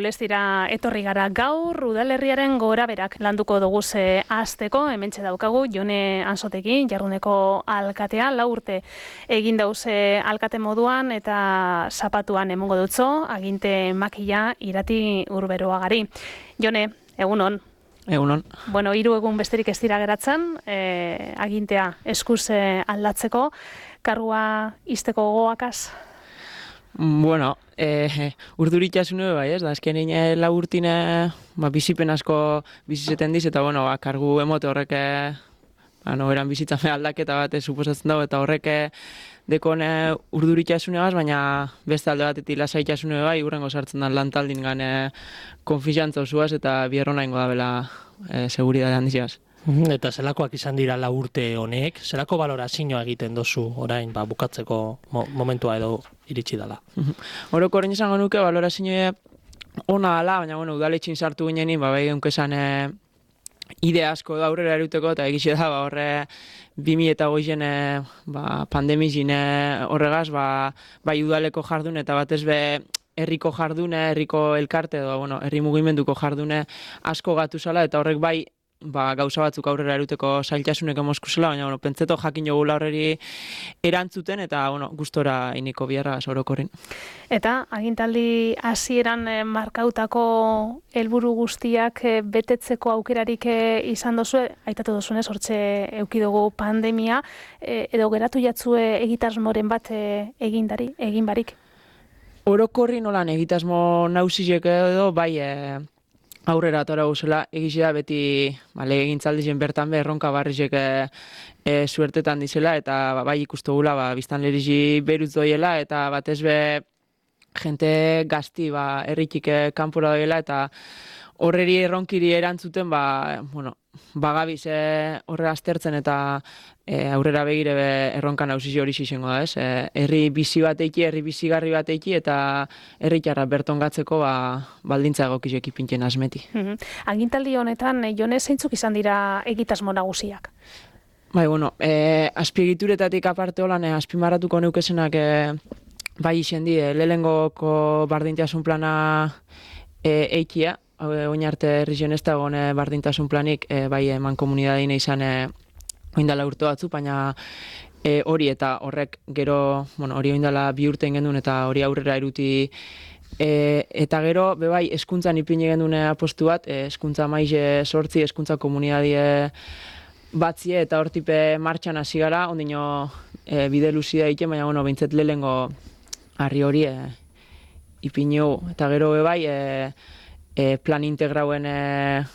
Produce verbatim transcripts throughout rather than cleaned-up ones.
Aulestira etorri gara gaur, udalerriaren goraberak landuko dugu ze hasteko, hementxe daukagu Jone Ansotekin, Jarruneko alkatea, lau urte egin dauze alkate moduan eta zapatuan emongo dutzo, aginte makila Irati Urberoagari. Jone, egunon. Egunon. Bueno, hiru egun besterik ez dira geratzen, eh, agintea eskuz eh, aldatzeko, kargua izteko gogoakaz? Bueno, eh, urduritxasune bai, ez da, azken ine laburtine ba, bizipen asko bizizeten diz, eta bueno, ba, kargu emote horrek ba, no, eran bizitzame aldaketa bat suposatzen dago, eta horrek dekone urduritxasune baz, baina beste alde batetik lasaitasune bai, urrengo sartzen da lantaldin gane konfizantza osuaz, eta bierrona ingo da bela e, seguridade handiziaz. Eta zelakoak izan dira lau urte honek, zelako balorazioa egiten dozu orain ba, bukatzeko mo momentua edo iritsi dela? Horoko horrein izango nuke balorazioa ona dela, baina bueno, udaletxin sartu ginenin, ba, bai geunkezan e, ide asko da aurrera eruteko, eta egixe da, ba, horre bi mila eta hogeien ba, pandemizin horregaz, ba, bai udaleko jardun eta batez be herriko jardune, herriko elkarte edo, bueno, herri mugimenduko jardune asko gatu zala, eta horrek bai ba, gauza batzuk aurrera eruteko zailtasunek emozkusela, baina bueno, pentseto jakin jogula horreri erantzuten, eta bueno, gustora iniko biharra orokorrin. Eta agintaldi hasieran eh, markautako helburu guztiak eh, betetzeko aukerarik eh, izan dozu, aitatu dozunez, hortxe eukidugu pandemia, eh, edo geratu jatzue egitasmoren bat eh, egindari, egin barik? Orokorri nolan egitasmo nausizek edo, bai, eh, aurrera atora guzela, egizia beti ba, legegintzaldien bertan be, erronka barrizek e, e, suertetan dizela, eta ba, bai ikustugula ba, biztan lerizi beruz doiela, eta batez be jente gazti ba, erritik kanpora doiela, eta horreri erronkiri erantzuten, ba, bueno, bagabiz e, horre aztertzen eta e, aurrera begire be, erronka nausizio hori izango da, ez? E, herri bizi bat eiki, herri bizigarri bat eiki, eta herritarra bertongatzeko ba, baldintza egokizek ipintzen asmeti. Mm-hmm. Agintaldi honetan, Jone, zeintzuk izan dira egitasmo nagusiak? Bai, bueno, e, azpiegituretatik aparte holan, e, azpimarratuko neukesenak e, bai izen di, e, lehengoko bardintasun plana e, eikia, oin arte herrizien ez dago bardintasun planik, e, bai eman komunitateine izan e, oindala urte batzu, baina e, hori eta horrek gero, bueno, hori oindala bi urte gendun eta hori aurrera eruti, e, eta gero, bebai, eskuntzan ipini gendun apostu bat, e, eskuntza maize sortzi, eskuntza komunitatea batzie, eta hortipe martxan hasi gara, ondino e, bide luzia egiten, baina, bueno, behintzet lehengo harri hori e, ipini hu, eta gero bebai, e, E, plan integrauen e,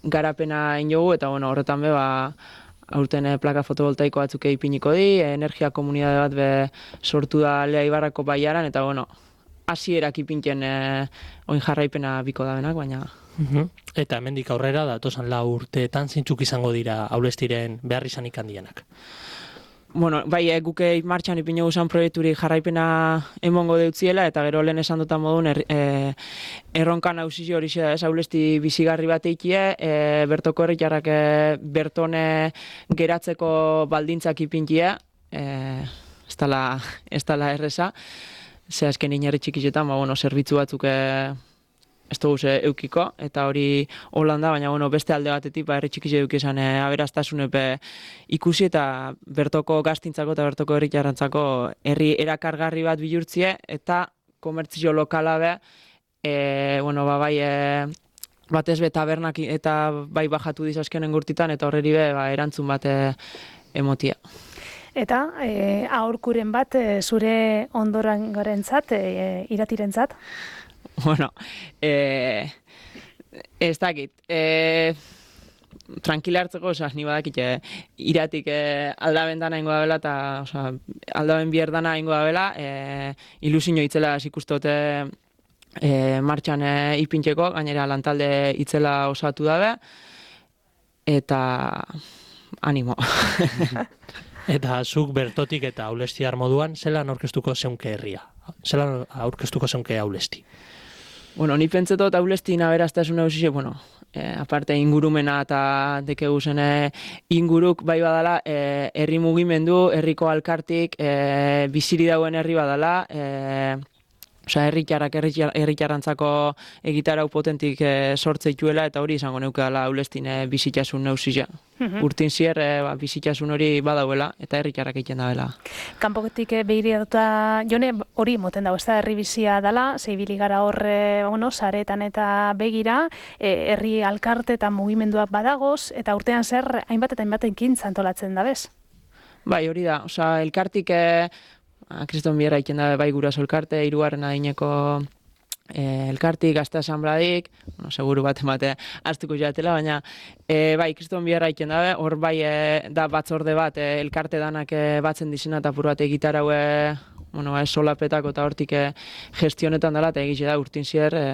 garapena injogu, eta bueno, horretan be, ba, aurten e, plaka fotovoltaiko batzuk ipiniko di, e, energia komunitate bat be sortu da Lea Ibarrako baiaran, eta bueno, hasierak ipintzen e, oin jarraipena biko da benak, baina... Uh-huh. Eta hemendik aurrera, datosan lau urteetan zintzuk izango dira Aulestiren behar izanik handienak? Bueno, bai, e, guke martxan ipinu guzan proiekturi jarraipena emongo deutziela, eta gero lehen esan dutan modun er, e, erronka nausizio hori da, ez, Aulesti bizigarri bat eikie, e, bertoko herritarrak e, bertone geratzeko baldintzak ipintia, e, ez dala, ez dala erreza, ze azken inerri txikizetan, ba, bueno, zerbitzu batzuk e, ez dugu ze eukiko, eta hori Holanda, baina bueno, beste alde batetik, ba, herri txikize eukizan e, aberastasunepe ikusi, eta bertoko gaztintzako eta bertoko herritarrantzako herri erakargarri bat bihurtzie, eta komertzio lokala be, e, bueno, ba, bai, e, batez be tabernak eta bai bajatu dizazkenen gurtitan, eta horreri be, ba, erantzun bat e, emotia. Eta e, aurkuren bat e, zure ondorengorentzat, e, Iratirentzat? Bueno, eh, ez dakit, eh, tranquila hartzeko, osea, ni badakit, eh, Iratik eh, aldaben dana ingo da bela, eta osea, aldaben bier dana ingo da bela, eh, ilusio itzela ikustote eh, martxan eh, ipintzeko, gainera lantalde itzela osatu dabe, eta animo. Eta zuk bertotik eta Aulestiar moduan, zelan aurkeztuko zeunke herria? Zelan aurkeztuko zeunke Aulesti? Bueno, ni pentsetot Aulesti aberastasuna ausise, bueno, eh, aparte ingurumena eta dekegu zen inguruk bai badala, eh, herri mugimendu, herriko alkartik, eh, biziri dauen herri badala, eh, Osea, herritarrak herritarrantzako egitarau potentik e, sortze dituela, eta hori izango neukala aulestin e, bizitasun neuzia. Mhm. Urtin zier, e, ba, bizitasun hori badauela, eta herritarrak egiten dabela. Kanpotik begiratuta jone hori moten dago, ez da herri bizia dela, zeibili gara horre, bueno, saretan eta begira, e, herri alkarte eta mugimenduak badagoz, eta urtean zer hainbat eta hainbat ekintza antolatzen da bez? Bai, hori da, osea, elkartik e, Kriston Bierra egiten da bai guraso elkarte, hirugarren adineko e, elkartik, gazte asanbladik, bueno, seguru bat emate hartuko jatela, baina e, bai, Kriston Bierra egiten da, hor bai e, da batzorde bat, e, elkarte danak e, batzen dizena eta apur bat egitarau e, bueno, ba, solapetako eta hortik e, gestionetan dela, eta egitxe da urtin zier e,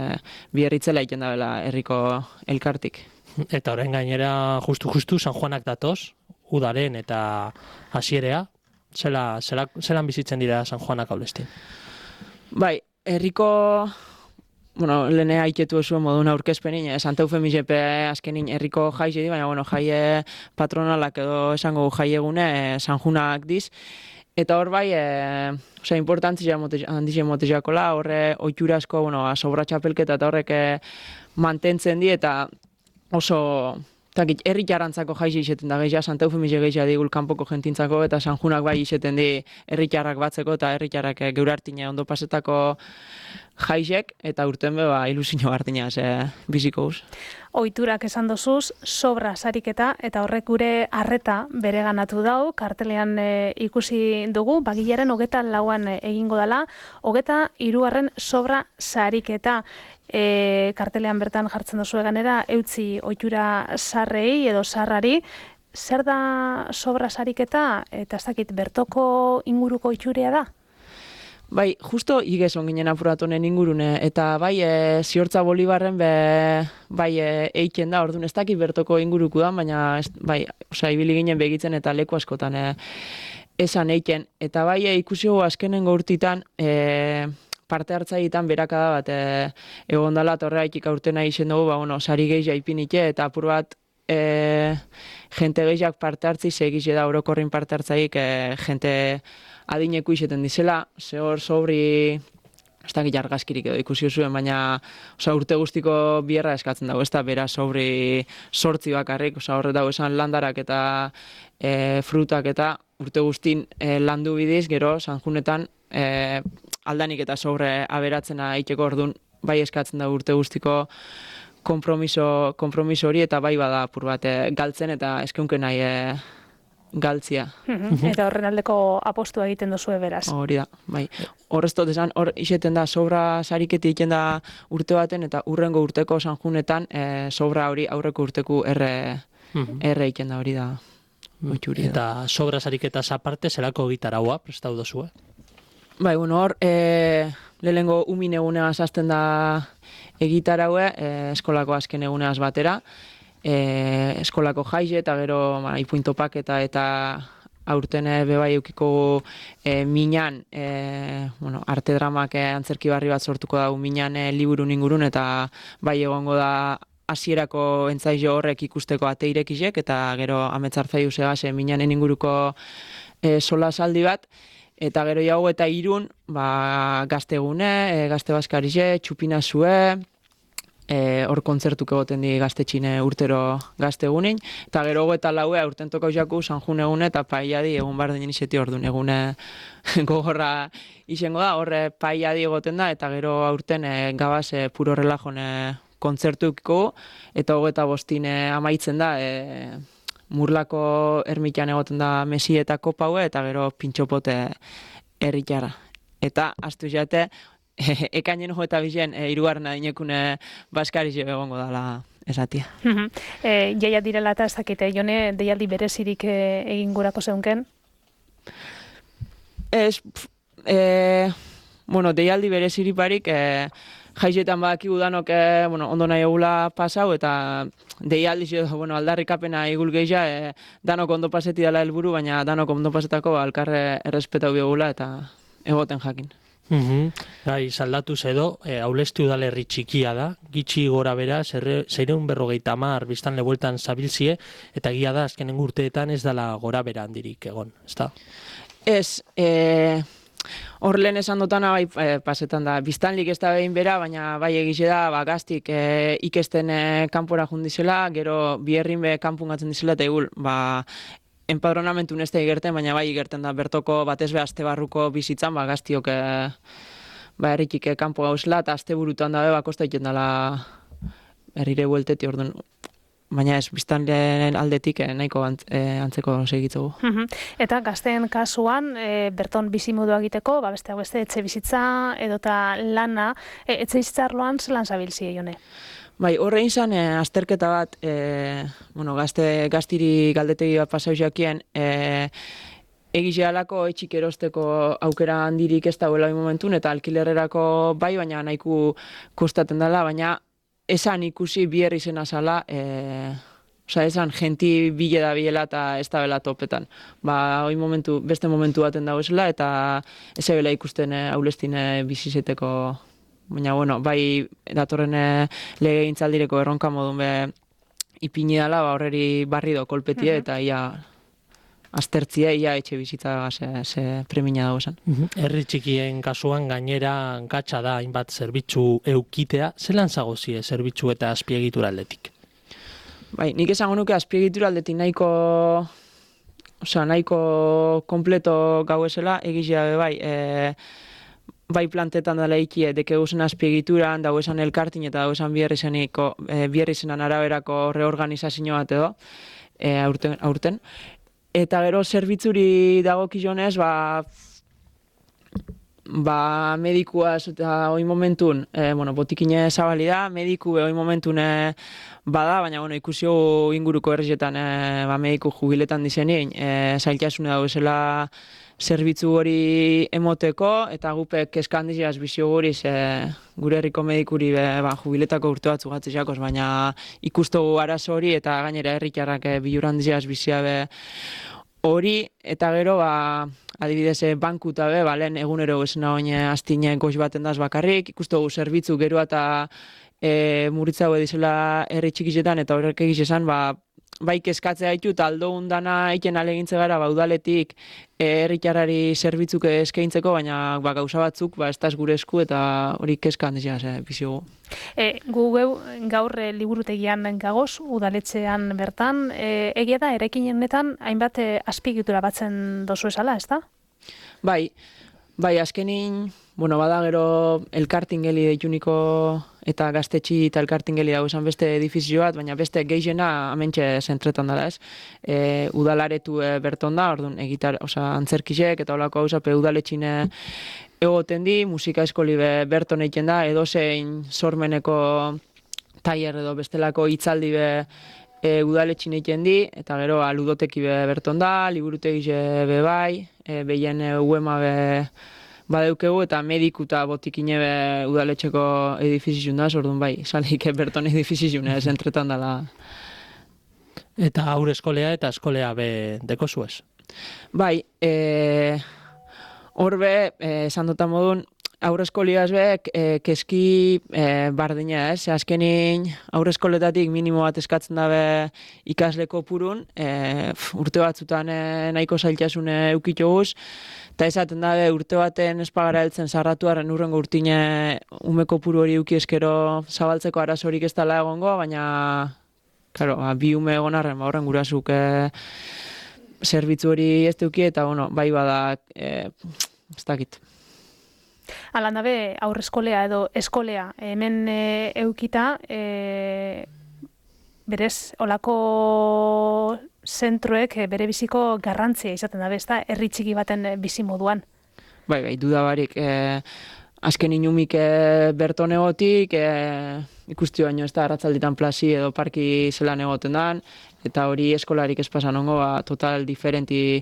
Bierritzela egiten da bela herriko elkartik. Eta orain gainera justu-justu San Juanak datoz, udaren eta hasierea, Zela, zela, zelan bizitzen dira San Juanak aulestin? Bai, herriko, bueno, lehene haiketu zuen moduna aurkezpenin, eh, Santa Eufemisepe azkenin herriko jaize di, baina, bueno, jaie patronalak edo esango jai egune eh, San Juanak diz. Eta hor bai, eh, osea, importantzia handizien motezakola, horre oiturasko, bueno, sobra txapelketa eta horrek eh, mantentzen di, eta oso... Herritarrantzako jaize izeten da gehiago, Santa Eufemize gehiago digul kanpoko jentintzako, eta San Juanak bai izeten di herritarrak batzeko, eta herritarrak geurartine ondo pasetako jaizek, eta urten be ba, ilusio hartina ze biziko uz. Ohiturak esan dozuz, sobra sariketa, eta horrek gure arreta bere ganatu dau, kartelean e, ikusi dugu, bagilaren hogeta lauan e, egingo dela, hogeta hirugarren sobra sariketa. E, kartelean bertan jartzen duzu eganera, eutzi ohitura sarrei edo sarrari, zer da sobra sariketa, eta ez dakit, bertoko inguruko ohiturea da? Bai, justo igez onginen apuratonen ingurune, eta bai, e, ziortza Bolibarren be, bai, e, eiken da, orduan ez dakit bertoko inguruko da, baina, ez, bai, osea, ibili ginen begitzen eta leku askotan e, esan eiken, eta bai, e, ikusi gu azkenengo urtitan, e, parte hartzailetan berakada bat e, egon dela, eta horregatik aurtena izen dugu, ba, bueno, sari gehiago ipinike, eta apur bat e, jente gehiago parte hartzi, segize da orokorrin parte hartzaik e, jente adineko izeten dizela, ze hor sobri, ez dakit argazkirik edo ikusi zuen, baina oza, urte guztiko bierra eskatzen dago, ez da bera sobri sortzi bakarrik, oza, horret dago esan landarak eta e, frutak eta urte guztin e, landu bidiz, gero Sanjunetan e, aldanik eta sobre aberatzena eiteko orduan bai eskatzen da urte guztiko kompromiso, kompromiso hori, eta bai bada apur bat e, galtzen eta eskeunken nahi e, galtzia. Eta horren aldeko apostua egiten duzue beraz. Hori da, bai. Horrez dut esan, hor iseten da sobra sariketi egiten da urte baten, eta urrengo urteko Sanjunetan e, sobra hori aurreko urteku erre, erre egiten da hori da. Oitxuri da. Eta sobra sariketaz aparte, zelako gitaraua prestatu duzue? Bai, bueno, hor, e, lehenengo umin egunea zazten da egitaraue, e, eskolako azken eguneaz batera, e, eskolako jaize eta gero ba, ipuin topaketa eta aurten bebai eukiko e, minan, e, bueno, arte dramak e, antzerki barri bat sortuko da minan e, liburun ingurun, eta bai egongo da hasierako entzaio horrek ikusteko ateirekizek, eta gero ametzartzai usegaz e, minanen inguruko e, solasaldi bat. Eta gero jau eta irun, ba, gaztegune, e, gazte baskarize, txupina zue, e, hor kontzertuk egoten di gaztetxine urtero gaztegunin, eta gero eta laue aurten toko jaku Sanjun egune eta paiadi egun bardin izeti orduan egune gogorra izango da, horre paiadi egoten da, eta gero aurten e, gabaz e, puro relajone kontzertuko, eta hogeta bostine amaitzen da, e, Murlako ermitan egoten da mesi eta kopaue, eta gero pintxopote erritara. Eta, astu jate, e, ekainen jo eta bizen, e, irugarren adinekune baskarize egongo dala esatia. e, jaia direla eta ez dakite, jone, deialdi berezirik e, egin gurako zeunken? Ez, pf, e, bueno, deialdi berezirik barik, e, jaizetan badakigu danok e, bueno, ondo nahi egula pasau, eta deialdiz edo bueno, aldarrikapena igul gehia, e, danok ondo paseti dela helburu, baina danok ondo pasetako alkarre errespetau biogula eta egoten jakin. Uhum. Gai, saldatuz edo, e, Aulesti udalerri txikia da, gitxi gora bera, zeireun berrogeita hamar biztan lebueltan zabilzie, eta egia da, azkenen urteetan ez dela gora bera handirik egon, ez da? Ez, e, hor lehen esan dutana, bai, e, pasetan da, biztanlik ez da behin bera, baina bai egize da, ba, gaztik e, ikesten e, kanpora jundizela, gero biherrin be kanpungatzen dizela, eta egul, ba, enpadronamentu neste igerten, baina bai igerten da, bertoko batez be aste barruko bizitzan, ba, gaztiok e, ba, erritik e, kanpo gauzela, eta aste burutan dabe, ba, kosta iten dela herrire buelteti, orduan, baina ez, biztanleen aldetik eh, nahiko ant, eh, antzeko segitzugu. Eta gazteen kasuan, e, berton bizimodua egiteko, ba, beste beste etxe bizitza edota lana, e, etxe bizitza arloan zelan zabilzi jone? Bai, horrein zan, e, azterketa bat, e, bueno, gazte, gaztiri galdetegi bat pasau jakien, e, egize alako etxik erosteko aukera handirik ez dagoela momentun, eta alkilerrerako bai, baina nahiko kostaten dela, baina esan ikusi biher izena zala, e, oza, esan genti bile da biela eta ez da bela topetan. Ba, hoi momentu, beste momentu baten dago esela, eta ez bela ikusten e, aulestine bizizeteko, baina, bueno, bai, datorren e, lege gintzaldireko erronka modun be ipini dela, ba, horreri barri do kolpetie, eta ia aztertzia, ia etxe bizitza ze, ze premina dago esan. Herri txikien kasuan gainera gatsa da hainbat zerbitzu eukitea, zelan zagozie zerbitzu eta azpiegitura aldetik? Bai, nik esango nuke azpiegitura aldetik nahiko, osea, nahiko kompleto gau esela, egizia be bai, e, bai plantetan dela ikie, dekeuzen azpiegituran, dago esan elkartin eta dago esan bierrizeniko, e, bierrizenan araberako reorganizazio bat edo, e, aurten, aurten. Eta gero zerbitzuri dagokionez, ba, ba medikuaz eta hoi momentun, e, bueno, botikine zabali da, mediku hoi momentun e, bada, baina bueno, ikusio inguruko herrietan e, ba, mediku jubiletan dizenin, e, zailtasune dago esela zerbitzu hori emoteko, eta gupek keskandiziaz bizio guriz e, gure herriko medikuri be, ba, jubiletako urte batzu gatzeakos, baina ikustogu arazo hori eta gainera herritarrak e, bilurandiziaz bizia be hori, eta gero, ba, adibidez, e, banku eta be, ba, lehen egunero esena oin astine goz baten daz bakarrik, ikustogu zerbitzu geroa eta e, muritzago edizela herri txikizetan, eta horrek egiz esan, ba, bai kezkatzea ditu, eta aldo undana egiten alegintze gara, ba, udaletik herritarrari zerbitzuke eskaintzeko, baina ba, gauza batzuk ba, ez da gure esku, eta hori kezka handizia, ze, biziogu. E, gu geu, gaur e, liburutegian gagoz, udaletxean bertan, e, egia da, eraikin honetan hainbat e, azpiegitura batzen dozu esala, ez da? Bai, bai, azkenin, bueno, bada gero elkartingeli deituniko eta gaztetxi eta elkartingeli dago esan beste edifizio bat, baina beste gehiena amentxe zentretan dela, ez? E, udalaretu e, berton da, orduan, egitar, oza, antzerkisek eta holako hauza, pe udaletxine egoten di, musika eskoli be berton egiten da, edozein sormeneko tailer edo bestelako hitzaldi be e, udaletxin egiten di, eta gero ludoteki be berton da, liburutegi be bai, e, behien e, uema be badeukegu, eta mediku eta botikine be udaletxeko edifizizun da, orduan bai, salik berton edifizizun ez entretan dela. Eta aur eskolea eta eskolea be deko zuez? Bai, e, hor be, e, esan dutan modun, aur eskoliaz be, e, keski e, bardina ez, azkenin aur eskoletatik minimo bat eskatzen dabe ikasleko purun, e, urte batzutan e, nahiko zailtasune eukitoguz, eta esaten dabe urte baten espagara heltzen sarratuaren urrengo urtine umeko puru hori euki eskero zabaltzeko arazorik ez dela egongo, baina claro, bi ume egon arren, ba, horren gurasuk e, zerbitzu hori ez duki, eta bueno, bai bada, e, ez dakit. Alan dabe, aurre eskolea edo eskolea, hemen e, eukita, e, berez, olako zentroek e, bere biziko garrantzia izaten dabe, ez da, herri txiki baten bizi moduan. Bai, bai, dudabarik, e, azken inumik e, berton egotik, e, ikusti baino ez da, arratzalditan plasi edo parki zelan egoten dan, eta hori eskolarik ez pasan ongo, ba, total diferenti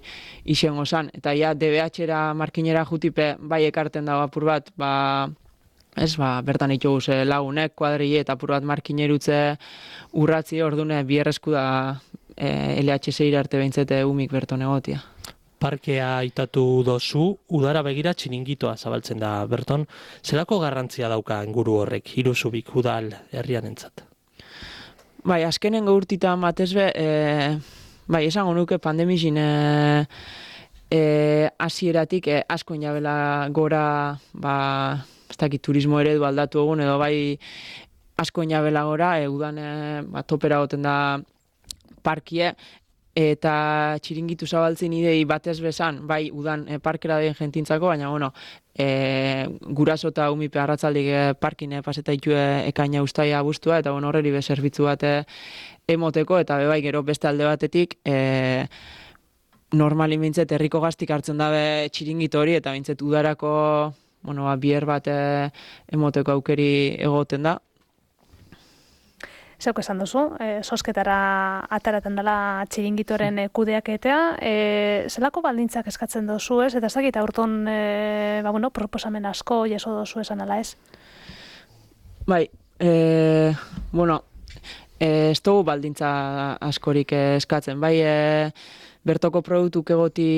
isengo zan. Eta ja, D B H-era markinera jutipe bai ekarten dago apur bat, ba, ez, ba, bertan itxoguz e, lagunek, kuadrile eta apur bat markinerutze urratzi ordune bierrezku da e, L H C arte behintzete umik berton egotia. Parkea aitatu dozu, udara begira txiningitoa zabaltzen da berton. Zelako garrantzia dauka inguru horrek, iruzubik udal herrian entzat? Bai, azkenen gaurtitan batez be, e, bai, esango nuke pandemizin e, e, hasieratik e, asko inabela gora, ba, ez dakit turismo eredu aldatu egun, edo bai asko inabela gora, e, udan e, ba, topera goten da parkie, eta txiringitu zabaltzen idei batez bezan, bai udan e, parkera den jentintzako, baina bueno, e, guraso eta umipe arratzaldik e, parkin e, paseta itue ekaina ustaia abuztua, eta bueno, horreri be zerbitzu bat e, emoteko, eta be bai gero beste alde batetik, e, normali mintzet herriko gaztik hartzen dabe txiringito hori, eta mintzet udarako bueno, ba, bier bat e, emoteko aukeri egoten da. Zeuk esan duzu, e, sosketara ataraten dela txiringitoren e, kudeaketea, e, zelako baldintzak eskatzen dozu ez, eta ez dakit aurton e, ba, bueno, proposamen asko jaso dozu esan ala ez? Bai, e, bueno, e, ez dugu baldintza askorik e, eskatzen, bai, e, bertoko produktuk egoti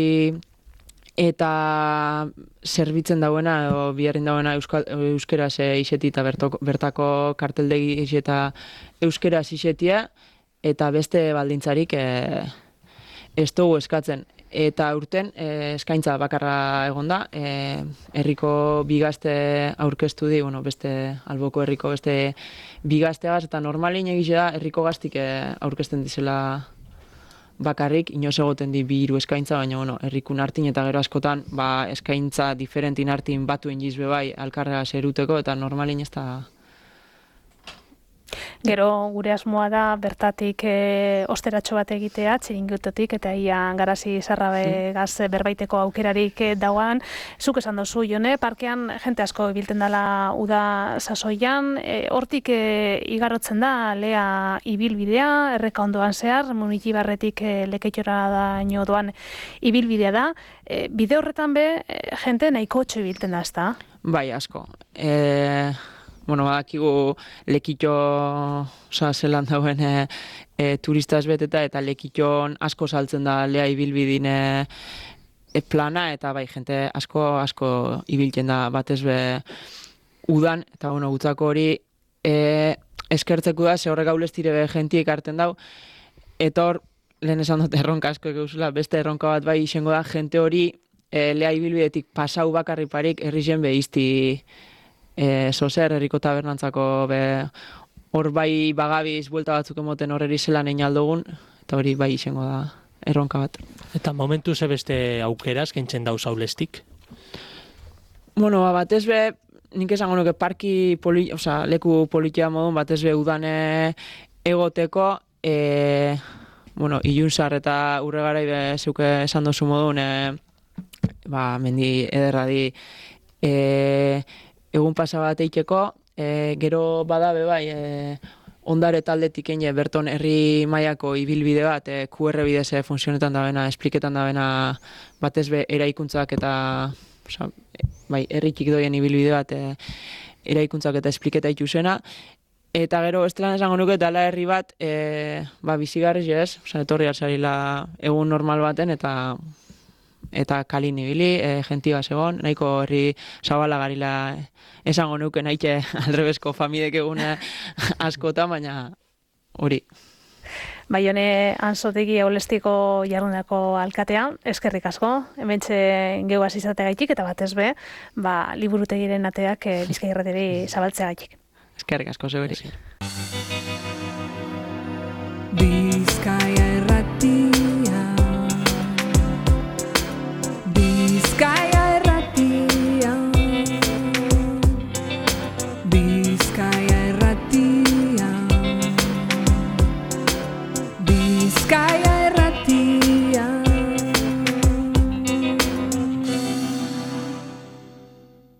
eta zerbitzen dauena, edo biherrin dauena euskal, euskeraz iseti eta bertoko, bertako karteldegi eta euskeraz isetia, eta beste baldintzarik e, ez dugu eskatzen. Eta urten e, eskaintza bakarra egon da, e, herriko bigazte aurkeztu di, bueno, beste alboko herriko beste bigazteagaz, eta normalin egize da herriko gaztik e, aurkezten dizela bakarrik, inoz egoten di bi hiru eskaintza, baina bueno, herrikun hartin eta gero askotan ba, eskaintza diferentin hartin batuen jizbe bai alkarrega zeruteko, eta normalin ez da. Gero gure asmoa da bertatik e, osteratxo bat egitea, txiringitotik, eta ia garazi zarrabegaz berbaiteko aukerarik e, dauan. Zuk esan dozu, Jone, parkean jente asko ibilten dela uda sasoian, e, hortik e, igarotzen da lea ibilbidea, erreka ondoan zehar, Munitibarretik e, Lekeitora daino doan ibilbidea da. E, bide horretan be, e, jente nahiko txo ibilten da, ezta? Bai, asko. E... Bueno, badakigu Lekitxo oza, zelan dauen e, e, turista ezbeteta, eta Lekitxon asko saltzen da lea ibilbidin e, e, plana, eta bai, jente asko asko ibiltzen da batez be udan, eta bueno, gutzako hori e, eskertzeko da, ze horrek gaulestire be jentiek hartzen dau, eta hor, lehen esan dut erronka asko egeuzula, beste erronka bat bai izango da, jente hori e, lea ibilbidetik pasau bakarriparik herri be izti E, zozer, herriko tabernantzako be, hor bai bagabiz buelta batzuk emoten horreri zelan egin aldogun, eta hori bai izango da erronka bat. Eta momentu ze beste aukeraz, kentzen dauz aulestik? Bueno, ba, batez be, nik esango nuke parki, poli, oza, leku politia modun, batez be udane egoteko, e, bueno, ilunzar eta urregarai be zeuke esan dozu modun, e, ba, mendi ederra di, e, egun pasa bat eiteko, e, gero badabe bai, e, ondare taldetik ene berton herri mailako ibilbide bat, e, Q R bidez e, funtzionetan dabena, espliketan dabena batez be eraikuntzak eta oza, bai, herri txik doien ibilbide bat, e, eraikuntzak eta espliketa itxusena, eta gero estelan esango nuke dala herri bat, e, ba, bizigarri ez, oza, etorri altzarila egun normal baten, eta eta kalin ibili, e, gentia segon, nahiko herri zabala garila esango nuke nahike aldrebesko famidek egune askota, baina hori. Bai, Jone Ansotegi Aulestiko jardunako alkatea, eskerrik asko, hementxe geuaz izateagaitik, eta batez be, ba, liburutegiren ateak e, Bizkaia Irratiari zabaltzeagaitik. Eskerrik asko, zeberi.